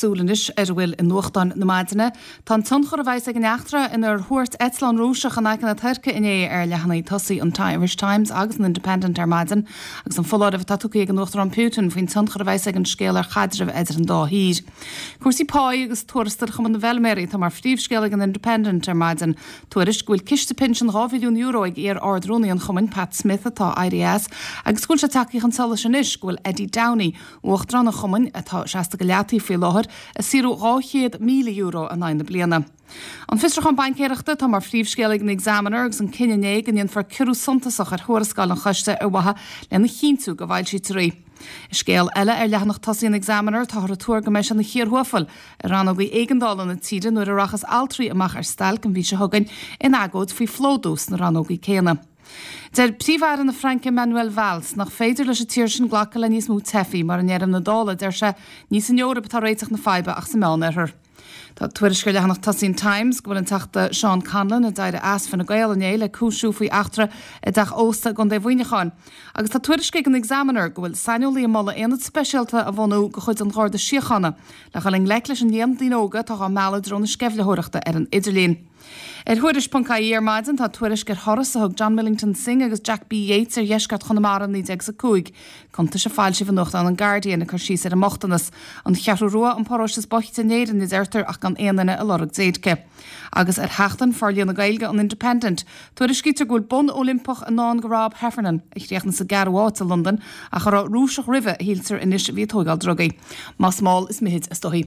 súil anois ar a bhfuil i nuachtáin na maidine. Tá an tionchar a bheas ag an eachtra inar thuairt eitleán Rúiseach in aice na Tuirce inné ar leathanaigh tosaigh an Irish Times agus an Independent ar maidin agus an foláireamh atá tugtha ag an Uachtarán Putin faoin tionchar a bheas ag an scéal ar chaidreamh idir an dá thír. Cúrsaí páí agus tuarastail Chumann na bhFeilméaraí atá mar phríomhscéal ag an Independent ar maidin. Tuairisc go bhfuil ciste pinsin €2 bhilliún ag iar-Ard-Rúnaí an chumainn, Pat Smith, atá éirithe as, agus go bhfuil sé tagtha chun solais anois go bhfuil Eddie Downey, Uachtarán an chumainn, atá seasta go leataobh faoi láthair, ag saothrú €200,000 in aghaidh na bliana. An fiosrúchán baincéireachta atá mar phríomhscéal ag an Examiner agus an cinneadh inné go ndéanfar ciorrú suntasach ar thuarascáil an choiste ar mhaithe lena chinntiú go bhfoilsítear í. I scéal eile ar leathanach tosaigh an Examiner, táthar ag tuar go mbeidh sé ina chíor thuafail i rannógaí éigeandála na tíre nuair a rachas altraí amach ar stailc an mhí seo chugainn in agóid faoi phlódú sna rannógaí céanna. Deir Príomh-Aire na Fraince Manuel Valls nach féidir leis an tír sin glacadh le níos mó teifigh mar i ndeireadh na dála, deir sé, ní san Eoraip atá réiteach na faidhbe ach sa Meánoirthear. Tá tuairisc ar leathanach tosaigh an Times go bhfuil an Teachta Seán Conlon, a d'éirigh as Fine Gael inné, le cúisiú faoi eachtra i dteach ósta i gContae Mhuineacháin. Agus tá tuairisc ag an Examiner go bhfuil saineolaí ag moladh aonad speisialta a bhunú de chuid an Gharda Síochána le dhul i ngleic leis an líon daoine óga atá dhá mealladh i dtreo na sceimhlitheoireachta ar an idirlíon. Ar Thuairisc.ie ar maidin tá tuairisc ar thuras a thug John Millington Synge agus Jack B. Yeats ar dheisceart Chonamara in 1905. Cuntais a foilsíodh i nuachtán an Guardian ag cur síos ar an mbochtanas. An Cheathrú Rua an paróiste is boichte in Éirinn a deirtear ach gan aon duine ag lorg déirce. Agus ar sheachtain Forlíonadh Gaeilge an Independent, tuairiscítear go bhfuil bonn Oilimpeach i ndán go Rob Heffernan, a chríochnaigh sa gceathrú háit i Londain ach a raibh Rúiseach roimhe a shíltear anois a bhí ag tóigeáil drugaí. Más mall is mithid istoíche.